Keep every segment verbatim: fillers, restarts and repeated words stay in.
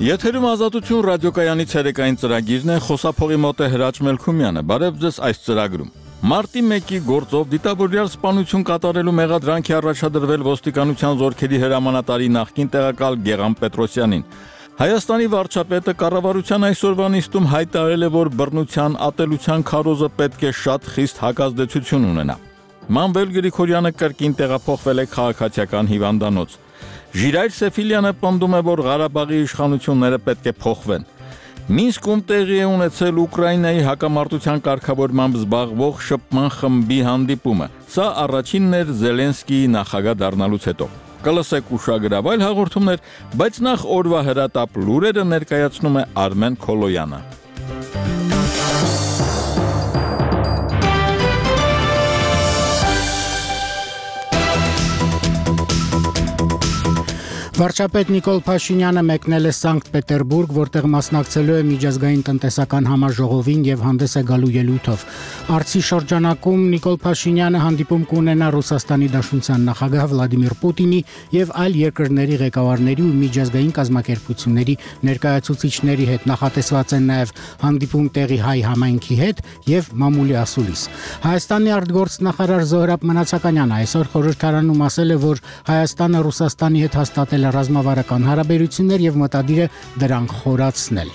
Եթերում ազատություն ռադիոկայանի ցերեկային ծրագիրն է, խոսափողի մոտ է Հրաչ Մելքումյանը։ Բարև ձեզ այս ծրագրում։ Մարտի մեկի գործով դիտավորյալ սպանություն կատարելու մեղադրանքի առաջադրվել ոստիկանության զորքերի հրամանատարի նախկին տեղակալ Գեղամ Պետրոսյանին։ Հայաստանի վարչապետը կառավարության այսօրվա նիստում հայտարարել է, որ բռնության, ատելության քարոզը պետք է շատ խիստ հակազդեցություն ունենա։ Մանվել Գրիգորյանը կրկին տեղափոխվել է քաղաքացիական հիվանդանոց։ Ժիրայր Սեֆիլյանը պնդում է, որ Ղարաբաղի իշխանությունները պետք է փոխվեն։ Մինսկում տեղի է ունեցել Ուկրաինայի հակամարտության կարգավորմամբ զբաղվող շփման խմբի հանդիպումը։ Սա առաջինն էր Զելենսկիի նախագահ դառնալուց հետո։ Կլսեք ուշագրավ այլ հաղորդումներ, բայց նախ օրվա հրատապ լուրերը ներկայացնում է Արմեն Քոլոյանը։ Վարչապետ Նիկոլ Փաշինյանը մեկնել է Սանկտ Պետերբուրգ, որտեղ մասնակցելու է միջազգային տնտեսական համաժողովին եւ հանդես է գալու ելույթով։ Արցի շրջանակում Նիկոլ Փաշինյանը հանդիպում կունենա Ռուսաստանի Դաշնության նախագահ Վլադիմիր Պուտինի եւ այլ երկրների ղեկավարների ու միջազգային կազմակերպությունների ներկայացուցիչների հետ։ Նախատեսված է նաեւ հանդիպում տեղի հայ համայնքի հետ եւ մամուլի ասուլիս։ Հայաստանի արտգործնախարար Զոհրաբ Մնացականյանը այսօր խորհրդարանում ասել է, որ Հայաստանը Ռուսաստանի հետ հաստատել է ռազմավարական հարաբերություններ եւ մտադիր է դրանք խորացնել։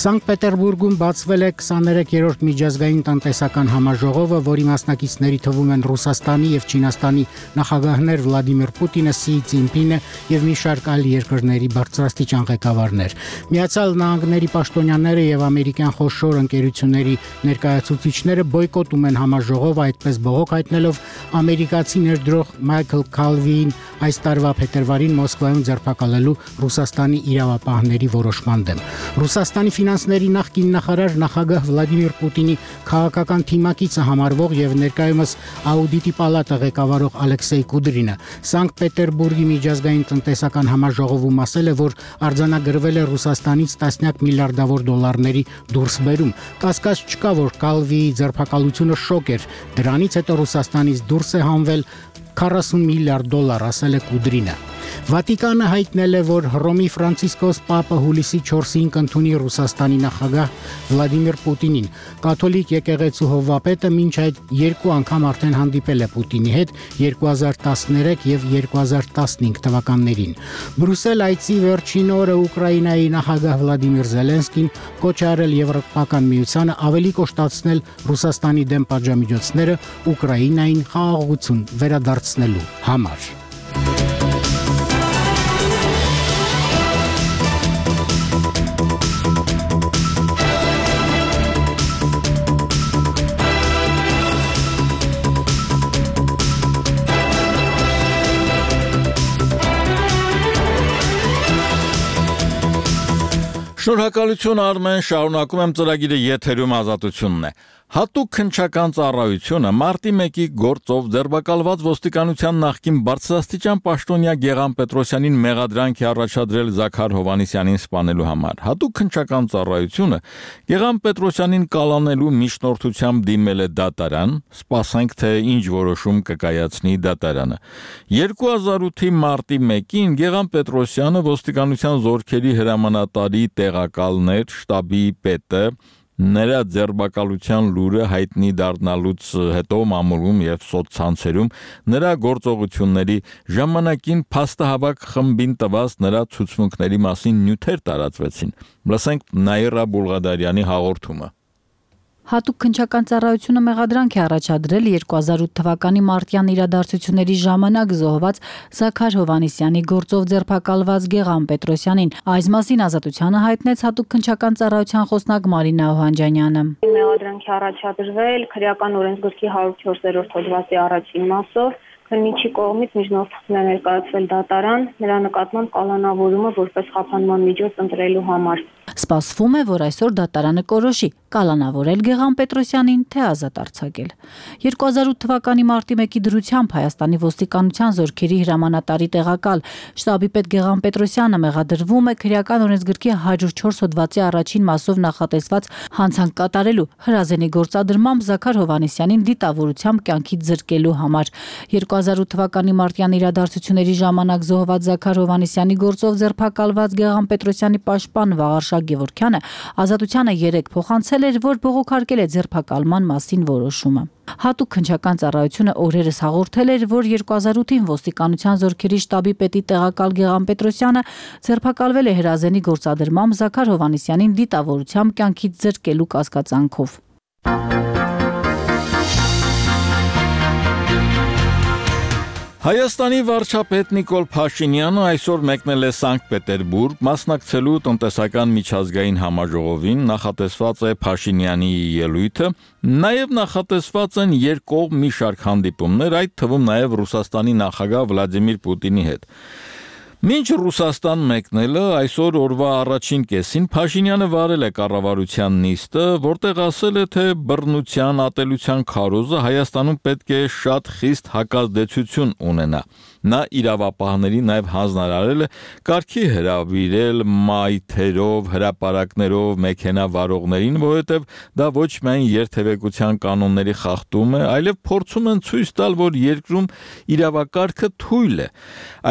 Սանկտ Պետերբուրգում բացվել է քսաներեքերորդ միջազգային տնտեսական համաժողովը, որի մասնակիցների թվում են Ռուսաստանի եւ Չինաստանի նախագահներ Վլադիմիր Պուտինը, Սի Ցզինպինը եւ մի շարք այլ երկրների բարձրաստիճան ղեկավարներ։ Միացյալ Նահանգների պաշտոնյաները եւ ամերիկյան խոշոր ընկերությունների ներկայացուցիչները բոյկոտում են համաժողովը, այդպես բողոք հայտնելով ամերիկացի ներդրող Մայքլ Քալվիին այս տարվա փետրվարին Մոսկվայում ձերբակալելու Ռուսաստանի իրավապահների որոշման դեմ։ Ռուսաստանի ֆինանսների նախկին նախարար նախագահ Վլադիմիր Պուտինի քաղաքական թիմակիցը համարվող եւ ներկայումս Աուդիտի պալատը ղեկավարող Ալեքսեյ Կուդրինը Սանկտ Պետերբուրգի միջազգային տնտեսական համաժողովում ասել է, որ արձանագրվել է Ռուսաստանից տասնյակ միլիարդավոր դոլարների դուրսբերում։ Կասկած չկա, որ Կալվիի ձերբակալությունը շոկ էր։ Դրանից հետո Ռուսաստանից դուրս է հանվել քառասուն միլիարդ դոլար, ասել է Կուդրինը։ Վատիկանը հայտնել է, որ Հռոմի Ֆրանցիսկոս Պապը հուլիսի չորսին կընդունի Ռուսաստանի նախագահ Վլադիմիր Պուտինին։ Կաթոլիկ եկեղեցու հովվապետը մինչ այդ երկու անգամ արդեն հանդիպել է Պուտինի հետ երկու հազար տասներեք եւ երկու հազար տասնհինգ թվականներին։ Բրուսել այցի վերջին օրը Ուկրաինայի նախագահ Վլադիմիր Զելենսկին կոչ է արել Եվրոպական միությանը ավելի կոշտացնել Ռուսաստանի դեմ պատժամիջոցները Ուկրաինային խաղաղություն վերադարձնելու համար։ Շնորհակալություն Արմեն, շարունակում եմ ծրագիրը, եթերում ազատությունն է։ Հատուկ քննչական ծառայությունը մարտի մեկի գործով ձերբակալված ոստիկանության նախկին բարձրաստիճան պաշտոնյա Գեղամ Պետրոսյանին մեղադրանք է առաջադրել Զաքար Հովհաննիսյանին սպանելու համար։ Հատուկ քննչական ծառայությունը Գեղամ Պետրոսյանին կալանելու միջնորդությամբ դիմել է դատարան, սպասենք թե ինչ որոշում կկայացնի դատարանը։ երկու հազար ութի մարտի մեկին Գեղամ Պետրոսյանը ոստիկանության զորքերի հրամանատարի տեղակալներ, շտաբի պետը նրա ձերբակալության լուրը հայտնի դառնալուց հետո մամուլում եւ սոցցանցերում նրա գործողությունների ժամանակին փաստահավաք խմբին տված նրա ցուցմունքների մասին նյութեր տարածվեցին։ Լսենք Նաիրա Բուլղադարյանի հաղորդումը։ Հատուկ քննչական ծառայությունը մեղադրանք է առաջադրել երկու հազար ութ թվականի մարտյան իրադարձությունների ժամանակ զոհված Զաքար Հովհաննիսյանի գործով ձերբակալված Գեղամ Պետրոսյանին։ Այս մասին ազատությանը հայտնեց հատուկ քննչական ծառայության խոսնակ Մարինա Օհանջանյանը։ Մեղադրանք է առաջադրվել քրեական օրենսգրքի հարյուր չորսերորդ հոդվածի առաջին մասով։ Քննիչի կողմից միջնորդություն է ներկայացվել դատարան, նրա նկատմամբ կալանավորումը որպես խափանման միջոց ընտրելու համար։ Սպասվում է, որ այսօր դատարանը կորոշի կալանավորել Գեղամ Պետրոսյանին, թե ազատ արձակել։ երկու հազար ութ թվականի մարտի մեկի դրությամբ Հայաստանի ոստիկանության զորքերի հրամանատարի տեղակալ շտաբի պետ Գեղամ Պետրոսյանը մեղադրվում է քրեական օրենսգրքի հարյուր չորս հոդվածի առաջին մասով նախատեսված հանցանք կատարելու հրազենի գործադրմամբ Զաքար Հովհաննիսյանին դիտավորությամբ կյանքից զրկելու համար։ երկու հազար ութ թվականի մարտյան իրադարձությունների ժամանակ զոհված Զաքար Հովհաննիսյանի գործով ձերբակալված Գեղամ Պետրոսյանի պաշտպան Վաղարշակ Գևորգյանը ազատությանը երեկ փոխանցել էր, որ բողոքարկել է ձերբակալման մասին որոշումը։ Հատուկ քննչական ծառայությունը օրերս հաղորդել էր, որ երկու հազար ութին ոստիկանության զորքերի շտաբի պետի տեղակալ Գեղամ Պետրոսյանը ձերբակալվել է հրազենի գործադրմամբ Զաքար Հովհաննիսյանին դիտավորությամբ կյանքից զրկելու կասկածանքով։ Հայաստանի վարչապետ Նիկոլ Փաշինյանը այսօր մեկնել է Սանկտ Պետերբուրգ մասնակցելու տնտեսական միջազգային համաժողովին, նախատեսված է Փաշինյանի ելույթը, նաև նախատեսված են երկկողմ մի շարք հանդիպումներ, այդ թվում նաև Ռուսաստանի նախագահ Վլադիմիր Պուտինի հետ։ Մինչ Ռուսաստան մեկնելը այսօր օրվա առաջին կեսին Փաշինյանը վարել է կառավարության նիստը, որտեղ ասել է, թե բռնության, ատելության քարոզը Հայաստանում պետք է շատ խիստ հակազդեցություն ունենա։ Նա իրավապահների նաև հանձնարարել է կարգի հրավիրել մայթերով, հրապարակներով մեքենա վարողներին, որովհետև դա ոչ միայն երթևեկության կանոնների խախտում է, այլև փորձում են ցույց տալ, որ երկրում իրավակարգը թույլ է։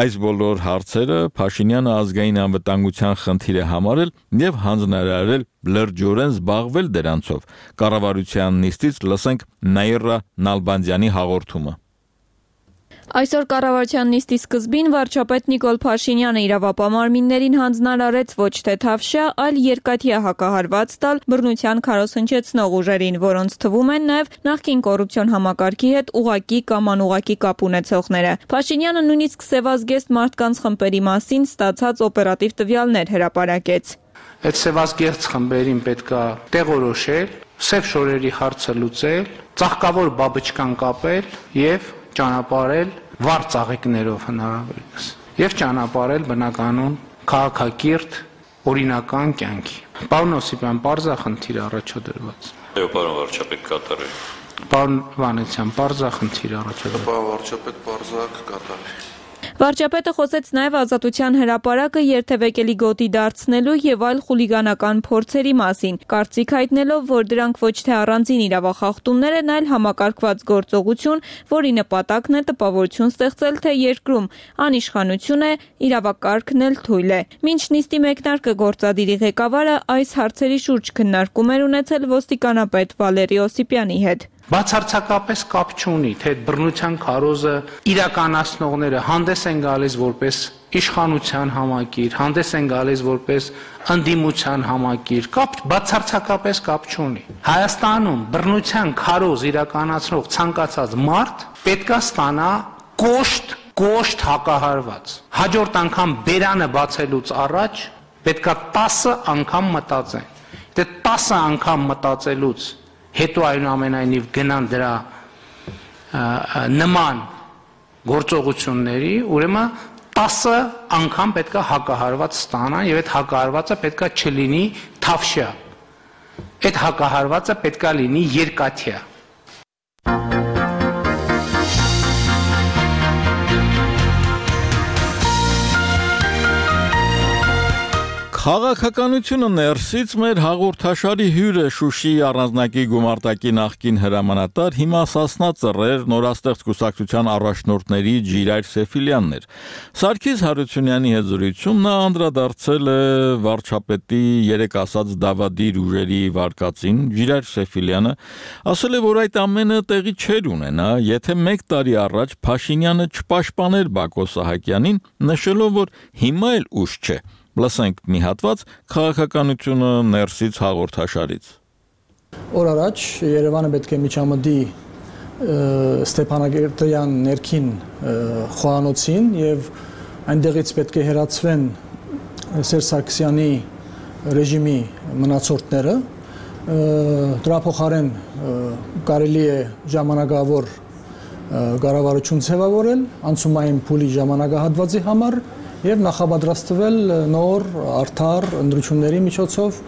Այս բոլոր հարցերը Փաշինյանը ազգային անվտանգության խնդիր է համարել եւ հանձնարարել լրջորեն զբաղվել դրանցով։ Կառավարության նիստից լսենք Նաիրա Նալբանդյանի հաղորդումը։ Այսօր կառավարության նիստի սկզբին վարչապետ Նիկոլ Փաշինյանը իրավապահ մարմիններին հանձնարարեց ոչ թե թավշյա, այլ երկաթյա հակահարված տալ բռնության քարոզ հնչեցնող ուժերին, որոնց թվում են նաև նախկին կոռուպցիոն համակարգի հետ ուղղակի կամ անուղղակի կապ ունեցողները։ Փաշինյանը նույնիսկ սևազգեստ մարդկանց խմբերի մասին ստացած օպերատիվ տվյալներ հրապարակեց։ Այդ սևազգեստ խմբերին պետքա տեղորոշել, սև շորերի հարցը լուծել, ծաղկավոր բաբչկան կապել եւ ճանապարհել վառ ծաղիկներով հնարավորինս եւ ճանապարհել բնականon քաղաքակիրթ օրինական կյանքի։ Պարոն Օսիպյան, պարզա խնդիր առաջադրված։ Այո, պարոն վարչապետ, կատարի։ Պարոն Վանեցյան, պարզա խնդիր առաջադրված։ Պարոն վարչապետ, պարզա կկատարի։ Վարչապետը խոսեց նաև ազատության հրապարակը երթևեկելի գոտի դարձնելու եւ այլ խուլիգանական փորձերի մասին, կարծիք հայտնելով, որ դրանք ոչ թե առանձին իրավախախտումներ են, այլ համակարգված գործողություն, որի նպատակն է տպավորություն ստեղծել, թե երկրում անիշխանություն է, իրավակարգն էլ թույլ է։ Մինչ նիստի մեկնարկը գործադիրի ղեկավարը այս հարցերի շուրջ քննարկում էր ունեցել ոստիկանապետ Վալերի Օսիպյանի հետ։ Բացարձակապես կապ չունի, թե բռնության քարոզը իրականացնողները հանդես են գալիս որպես իշխանության համակիր, հանդես են գալիս որպես ընդդիմության համակիր, կապ բացարձակապես կապ չունի։ Հայաստանում բռնության քարոզ իրականացնող ցանկացած մարդ պետքա ստանա կոշտ, կոշտ հակահարված։ Հաջորդ անգամ բերանը բացելուց առաջ պետքա տասը անգամ մտածեն։ Դե տասը անգամ մտածելուց հետո այնուամենայնիվ գնան դրա նման գործողությունների, ուրեմն տասը անգամ պետքա հակահարված ստանան եւ այդ հակահարվածը պետքա չլինի թավշյա։ Այդ հակահարվածը պետքա լինի երկաթյա։ Քաղաքականությունը ներսից մեր հաղորդաշարի հյուրը Շուշիի առանձնակի գումարտակի նախկին հրամանատար, հիմա Սասնա Ծռեր նորաստեղծ կուսակցության առաջնորդների Ջիրայր Սեֆիլյանն էր։ Սարգիս Հարությունյանի հետ զրույցում նա անդրադարձել է վարչապետի երեք ասած դավադիր ուժերի վարկածին։ Ջիրայր Սեֆիլյանը ասել է, որ այդ ամենը տեղի չէր ունենա, եթե մեկ տարի առաջ Փաշինյանը չպաշտպաներ Բակո Սահակյանին, նշելով, որ հիմա էլ ուշ չէ։ Լսենք մի հատված քաղաքականությունը ներսից հաղորդաշարից։ Օր առաջ Երևանը պետք է միջամտի Ստեփանագերտյան ներքին խոհանոցին եւ այնտեղից պետք է հեռացվեն Սերժ Սարգսյանի ռեժիմի մնացորդները։ Դրա փոխարեն կարելի է ժամանակավոր կառավարություն ձևավորել անցումային փուլի ժամանակահատվածի համար եւ նախապատրաստվել նոր արդար ընտրությունների միջոցով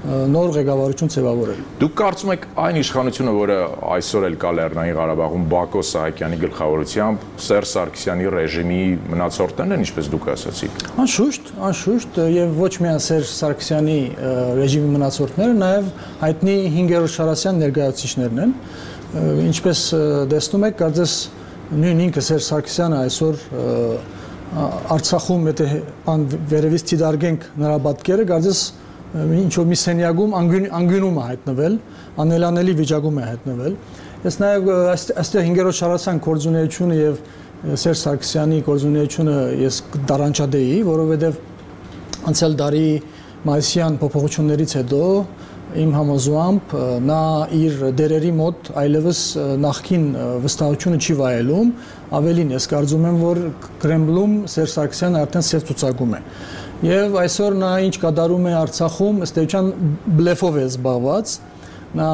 նոր ղեկավարություն ձևավորել։ Դուք կարծում եք այն իշխանությունը, որը այսօր էլ կա Լեռնային Ղարաբաղում Բակո Սահակյանի գլխավորությամբ, Սերժ Սարգսյանի ռեժիմի մնացորդներն են, ինչպես դուք ասացիք։ Անշուշտ, անշուշտ, եւ ոչ միայն Սերժ Սարգսյանի ռեժիմի մնացորդները, նաեւ հայտնի հինգերորդ Շարասյան ներկայացուցիչներն են։ Ինչպես տեսնում եք, կարծես նույն ինքը Սերժ Սարգսյանը այսօր Արցախում եթե ան վերևից դիտարկենք նրա պատկերը, կարծես ինչ որ մի սենյակում անգյունում է հայտնվել, անելանելի վիճակում է հայտնվել։ Ես նաև այստեղ հինգերորդ Շարասյան գործունեությունը եւ Սերժ Սարգսյանի գործունեությունը ես դարանչադեի, որովհետեւ անցյալ տարի մայիսյան փոփոխություններից հետո իմ համոզմամբ նա իր դերերի մոտ այլևս նախքին վստահությունը չի վայելում, ավելին ես կարծում եմ, որ Կրեմլում Սերժ Սարգսյանը արդեն սև ցուցակում է։ Եվ այսօր նա ինչ կատարում է Արցախում, ըստ էության բլեֆով է զբաղված, նա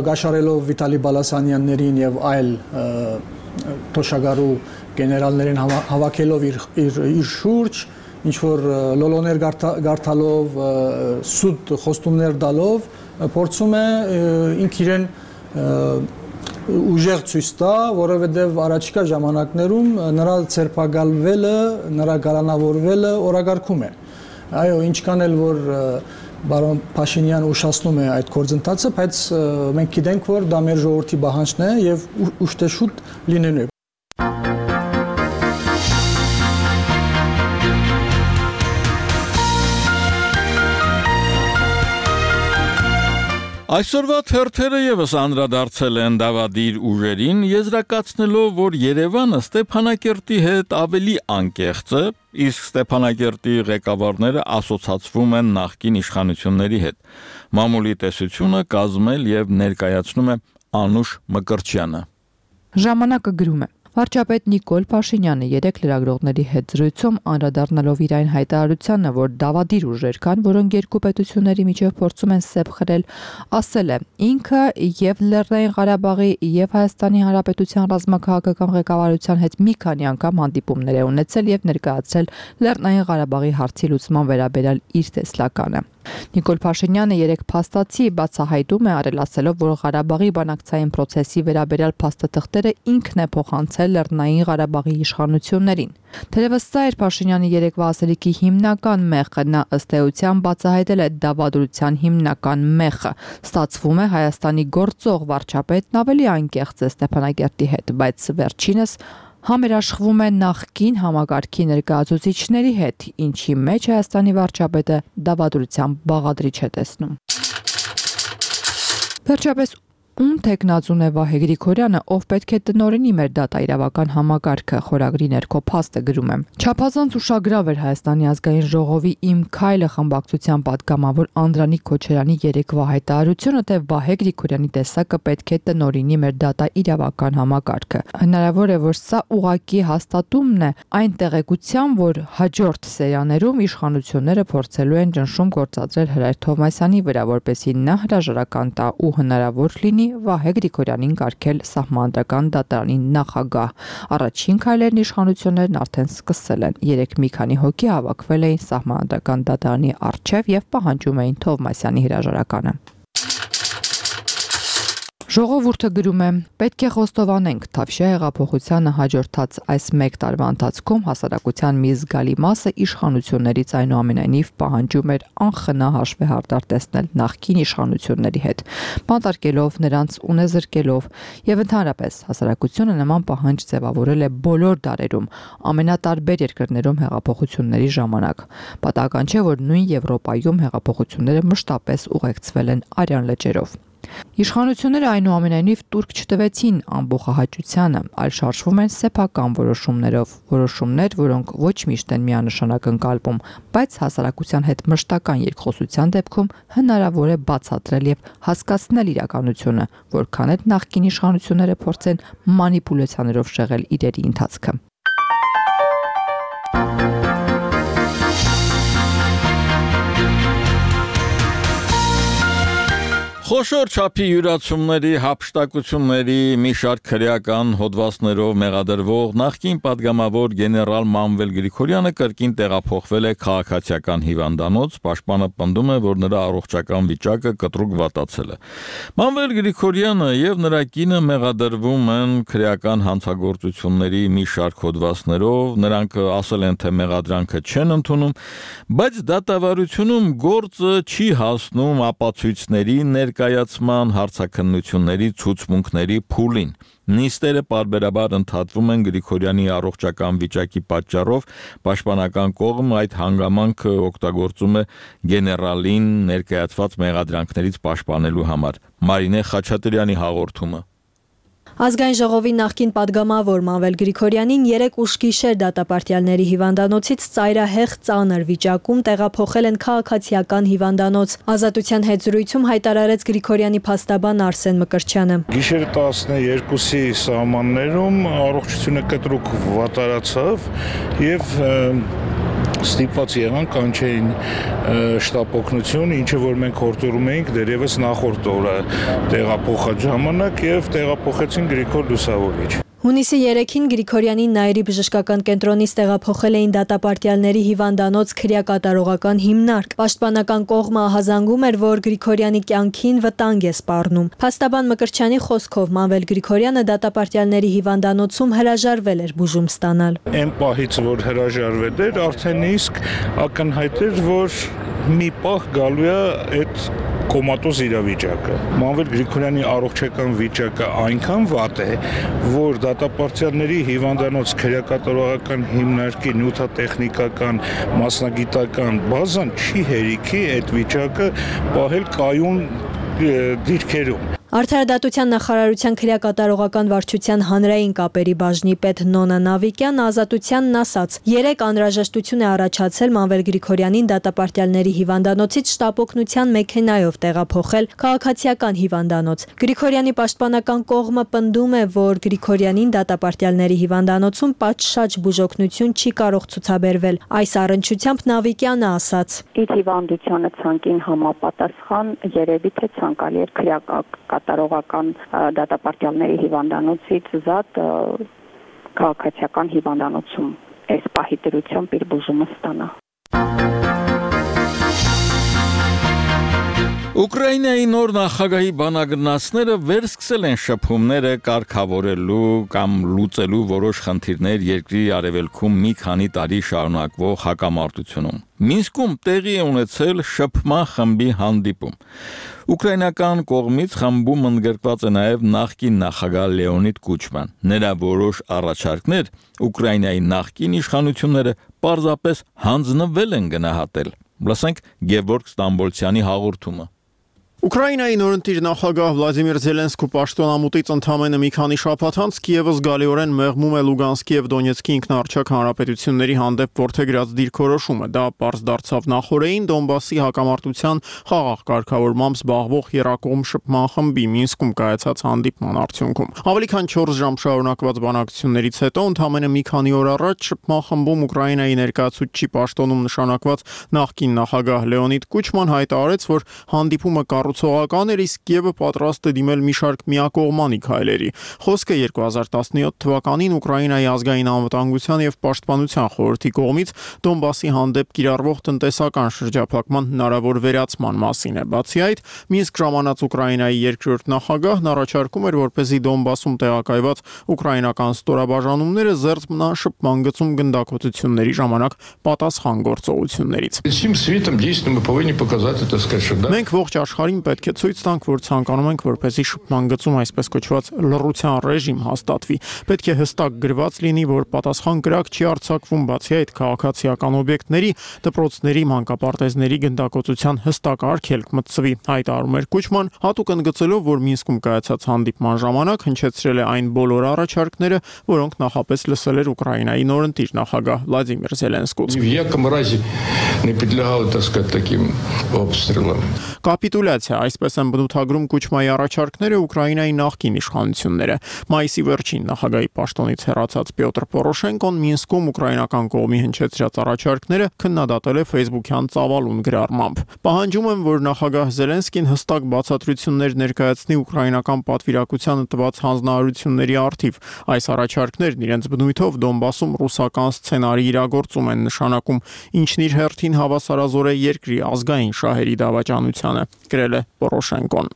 գաշարելով Վիտալի Բալասանյաններին եւ այլ թոշակառու գեներալներին հավաքելով իր իր շուրջ, ինչ որ լոլոներ գարթալով, սուտ խոստումներ տալով, փորձում է ինք իրեն ուժեղ ցույց տա, որովհետև առաջիկա ժամանակներում նրա ցերպակալվելը, նրա գարանավորվելը օրակարգում է։ Այո, ինչքան էլ որ բարոն Փաշինյանը ուշացնում է այդ գործընթացը, բայց մենք գիտենք, որ դա մեր ժողովրդի պահանջն է եւ ուշտեշուտ լինելու է։ Այսօրվա թերթերը եւս անդրադարձել են Դավադիր ուժերին, եզրակացնելով, որ Երևանը Ստեփանակերտի հետ ավելի անկեղծ է, իսկ Ստեփանակերտի ղեկավարները ասոցացվում են նախկին իշխանությունների հետ։ Մամուլի տեսությունը կազմել եւ ներկայացնում է Անուշ Մկրտչյանը։ Ժամանակը գրում է. Վարչապետ Նիկոլ Փաշինյանը երեք լրագրողների հետ զրույցում անդրադառնալով իր այն հայտարարությանը, որ դավադիր ուժեր կան, որոնք երկու պետությունների միջև փորձում են սեպ խրել, ասել է. ինքը եւ Լեռնային Ղարաբաղի եւ Հայաստանի Հանրապետության ռազմաքաղաքական ղեկավարության հետ մի քանի անգամ հանդիպումներ է ունեցել եւ ներկայացրել Լեռնային Ղարաբաղի հարցի լուծման վերաբերյալ իր տեսլականը։ Նիկոլ Փաշինյանը երեք փաստացի բացահայտում է արել ասելով, որ Ղարաբաղի բանակցային process-ի վերաբերյալ փաստաթղթերը ինքն է փոխանցել Լեռնային Ղարաբաղի իշխանություններին։ Թերևս սա էր Փաշինյանի երեկվա ասելիքի հիմնական մեղքը, նա ըստ էության բացահայտել է դավադրության հիմնական մեղքը։ Ստացվում է Հայաստանի գործող վարչապետն ավելի անկեղծ է Ստեփանակերտի հետ, բայց վերջինս համերաշխվում է նախկին համագարքի ներկայացուցիչների հետ, ինչի մեջ Հայաստանի վարչապետը դավադրության բաղադրիչ է տեսնում։ Վերջապես Ում տեխնազուն է Վահե Գրիգորյանը, ով պետք է տնօրինի մեր դատաիրավական համակարգը, խորագրի ներքո փաստ է գրում է։ Չափազանց ուշագրավ էր Հայաստանի ազգային ժողովի Իմ քայլը խմբակցության պատգամավոր Անդրանիկ Քոչարյանի երեկվա հայտարարությունը, թե Վահե Գրիգորյանի տեսակը պետք է տնօրինի մեր դատաիրավական համակարգը։ Հնարավոր է, որ սա ուղղակի հաստատումն է այն տեղեկության, որ հաջորդ սերիաներում իշխանությունները փորձելու են ճնշում գործադրել Հրայր Թովմասյանի վրա, որպեսզի նա հրաժարական տա ու հնարավոր լինի Վահե Գրիգորյանին կարգել սահմանադրական դատարանի նախագահ։ Առաջին քայլերն իշխանություններն արդեն սկսել են։ Երեք մի քանի հոգի հավաքվել էին սահմանադրական դատարանի առջև եւ պահանջում էին Թովմասյանի հրաժարականը։ Ժողովուրդը գրում է. պետք է խոստովանենք, Թավշյա հեղափոխությանը հաջորդած այս մեկ տարվա ընթացքում հասարակության մի զգալի մասը իշխանություններից այնուամենայնիվ պահանջում էր անխնա հաշվեհարդար տեսնել նախկին իշխանությունների հետ, բանտարկելով նրանց ունեզրկելով, եւ ընդհանրապես հասարակությունը նման պահանջ ձևավորել է բոլոր դարերում, ամենատարբեր երկրներում հեղափոխությունների ժամանակ։ Պատահական չէ, որ նույն Եվրոպայում հեղափոխությունները մշտապես ուղեկցվել են արյան լճերով։ Իշխանությունները այնուամենայնիվ տուրք չտվեցին ամբողջահաճությանը, այլ շարժվում են սեփական որոշումներով, որոշումներ, որոնք ոչ միշտ են միանշանակ ընկալվում, բայց հասարակության հետ մշտական երկխոսության դեպքում հնարավոր է բացատրել եւ հասկացնել իրականությունը, որքան էլ նախկին իշխանությունները փորձեն մանիպուլյացիաներով շեղել իրերի ընթացքը։ Խոշոր չափի յուրացումների, հափշտակությունների մի շարք քրեական հոդվածներով մեղադրվող նախկին պատգամավոր գեներալ Մանվել Գրիգորյանը կրկին տեղափոխվել է քաղաքացիական հիվանդանոց, պաշտպանը պնդում է, որ նրա առողջական վիճակը կտրուկ վատացել է։ Մանվել Գրիգորյանը եւ նրա կինը մեղադրվում են քրեական հանցագործությունների մի շարք հոդվածներով, նրանք ասել են, թե մեղադրանքը չեն ընդունում, բայց դատավարությունում գործը չի հասնում ապացույցների ներկայացման, հարցաքննությունների, ցուցմունքների փուլին։ Նիստերը պարբերաբար ընդհատվում են Գրիգորյանի առողջական վիճակի պատճառով, պաշտպանական կողմը այդ հանգամանքը օգտագործում է գեներալին ներկայացված մեղադրանքներից պաշտպանելու համար։ Մարինե Խաչատրյանի հաղորդումը։ Ազգային ժողովի նախկին պատգամավոր Մանվել Գրիգորյանին երեկ ուշ գիշեր դատապարտյալների հիվանդանոցից ծայրահեղ ծանր վիճակում տեղափոխել են քաղաքացիական հիվանդանոց։ Ազատության հետ զրույցում հայտարարեց Գրիգորյանի փաստաբան Արսեն Մկրտչյանը։ Գիշերը տասներկուսի սահմաններում առողջությունը կտրուկ վատարացավ եւ ստիպված եղան կանչեին շտապ օգնություն, ինչը որ մենք հորդորում էինք դերևս նախորդ օրը տեղափոխած ժամանակ եւ տեղափոխեցին Գրիգոր Լուսավորիչ։ Հունիսի երեքին Գրիգորյանին Նայիրի բժշկական կենտրոնից տեղափոխել էին դատապարտյալների հիվանդանոց քրեակատարողական հիմնարկ։ Պաշտպանական կողմը ահազանգում էր, որ Գրիգորյանի կյանքին վտանգ է սպառնում։ Փաստաբան Մկրտչյանի խոսքով Մանվել Գրիգորյանը դատապարտյալների հիվանդանոցում հրաժարվել էր բուժում ստանալ։ Այն պահից, որ հրաժարվել էր, արդեն իսկ ակնհայտ էր, որ մի պահ գալու է այդ կոմատոզ իրավիճակը։ Մանվել Գրիգորյանի առողջական վիճակը այնքան վատ է, որ դատապարտյալների հիվանդանոց քրեակատարողական հիմնարկի նյութատեխնիկական մասնագիտական բազան չի հերիքի այդ վիճակը պահել կայուն դիրքերում։ Արդարադատության նախարարության քրեակատարողական վարչության հանրային կապերի բաժնի պետ Նոնա Նավիկյան ազատությանն ասաց. երեք անհրաժեշտություն է առաջացել Մանվել Գրիգորյանին դատապարտյալների հիվանդանոցից շտապօգնության մեքենայով տեղափոխել քաղաքացիական հիվանդանոց։ Գրիգորյանի պաշտպանական կողմը պնդում է, որ Գրիգորյանին դատապարտյալների հիվանդանոցում պատշաճ բուժօգնություն չի կարող ցուցաբերվել։ Այս առնչությամբ Նավիկյանը ասաց. Իր հիվանդությանը ցանկին համապատասխան երևի թե ցանկալի էր քրեական կատարողական դատապարտյալների հիվանդանոցից զատ քաղաքացիական հիվանդանոցում այս պահի դրությամբ իր բուժումը ստանա։ Ուկրաինայի նոր նախագահի բանագնացները վերսկսել են շփումները կարգավորելու կամ լուծելու որոշ խնդիրներ երկրի արևելքում մի քանի տարի շարունակվող հակամարտությունում։ Մինսկում տեղի է ունեցել շփման խմբի հանդիպում։ Ուկրաինական կողմից խմբում ընդգրկված է նաև նախկին նախագահ Լեոնիդ Կուչման։ Նրա որոշ առաջարկներ Ուկրաինայի նախկին իշխանությունները պարզապես հանձնվել են գնահատել։ Լսենք Գևորգ Ստամբոլցյանի հաղորդումը։ Ուկրաինայի նորընտիր նախագահ Վլադիմիր Զելենսկու պաշտոնամուտից ընդամենը մի քանի շաբաթ անց Կիևը զգալիորեն մեղմում է Լուգանսկի եւ Դոնեցկի ինքնաառչակ հանրապետությունների հանդեպ որդեգրած դիրքորոշումը։ Դա պարզ դարձավ նախորդին Դոնբասի հակամարտության խաղաղ կարգավորմամբ զբաղվող Երակոմ շփման խմբի Մինսկում կայացած հանդիպման արդյունքում։ Ավելի քան չորս ժամ շարունակված բանակցություններից հետո ընդամենը մի քանի օր առաջ շփման խմբում Ուկրաինայի ներկայացուցիչի պաշտոնում նշանակված նախկին նախագահ Լեոնիդ Կուչման հայտարարեց, որ հանդիպումը կառուցողական էր, իսկ Կիևը պատրաստ է դիմել մի շարք միակողմանի քայլերի։ Խոսքը երկու հազար տասնյոթ թվականին Ուկրաինայի ազգային անվտանգության եւ պաշտպանության խորհրդի կողմից Դոնբասի հանդեպ կիրառվող տնտեսական շրջափակման հնարավոր վերացման մասին է։ Բացի այդ, Մինսկ ժամանած Ուկրաինայի երկրորդ նախագահն առաջարկում էր, որպեսզի Դոնբասում տեղակայված ուկրաինական ստորաբաժանումները զերծ մնան շփման գծում գնդակոծությունների ժամանակ պատասխան գործողություններից։ Մենք ողջ աշխարհին պետք է ցույց տանք, որ ցանկանում ենք, որպեսզի շփման գծում այսպես կոչված լռության ռեժիմ հաստատվի։ Պետք է հստակ գրված լինի, որ պատասխան կրակ չի արձակվում, բացի այդ քաղաքացիական օբյեկտների, դպրոցների, մանկապարտեզների գնդակոծության հստակ արգելք մտցվի, հայտարարում էր Կուչման, հատուկ ընդգծելով, որ Մինսկում կայացած հանդիպման ժամանակ հնչեցրել է այն բոլոր առաջարկները, որոնք նախապես լսել էր Ուկրաինայի նորընտիր նախագահ Վլադիմիր Զելենսկուց։ Կապիտուլյացիա թե այսպես են բնութագրում կոչմայի առաջարկները Ուկրաինայի նախկին իշխանությունները։ Մայիսի վերջին նախագահի պաշտոնից հեռացած Պյոտր Պորոշենկոն Մինսկում ուկրաինական կողմի հնչեցրած առաջարկները քննադատել է Facebook-յան ծավալուն գրառմամբ։ Պահանջում են, որ նախագահ Զելենսկին հստակ բացատրություններ ներկայացնի ուկրաինական պատվիրակությանը տված հանձնարարությունների առթիվ։ Այս առաջարկներն իրենց բնույթով Դոնբասում ռուսական սցենարի իրագործում են նշանակում, ինչն իր հերթին հավասարազոր է երկրի ազգային շահերի դավաճանությանը, գրել է Պորոշենկոն։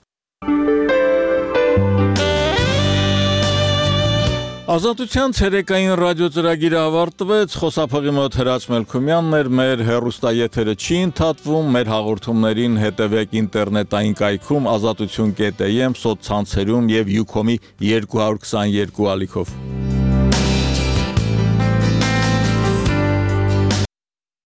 Ազատության ցերեկային ռադիոծրագիրը ավարտվեց, խոսափողի մոտ Հրաչ Մելքումյանն էր, մեր հեռուստաեթերը չի ընդհատվում, մեր հաղորդումներին հետևեք ինտերնետային կայքում ազատություն կետ am, սոցցանցերում եւ Յուքոմի երկու հարյուր քսաներկու ալիքով։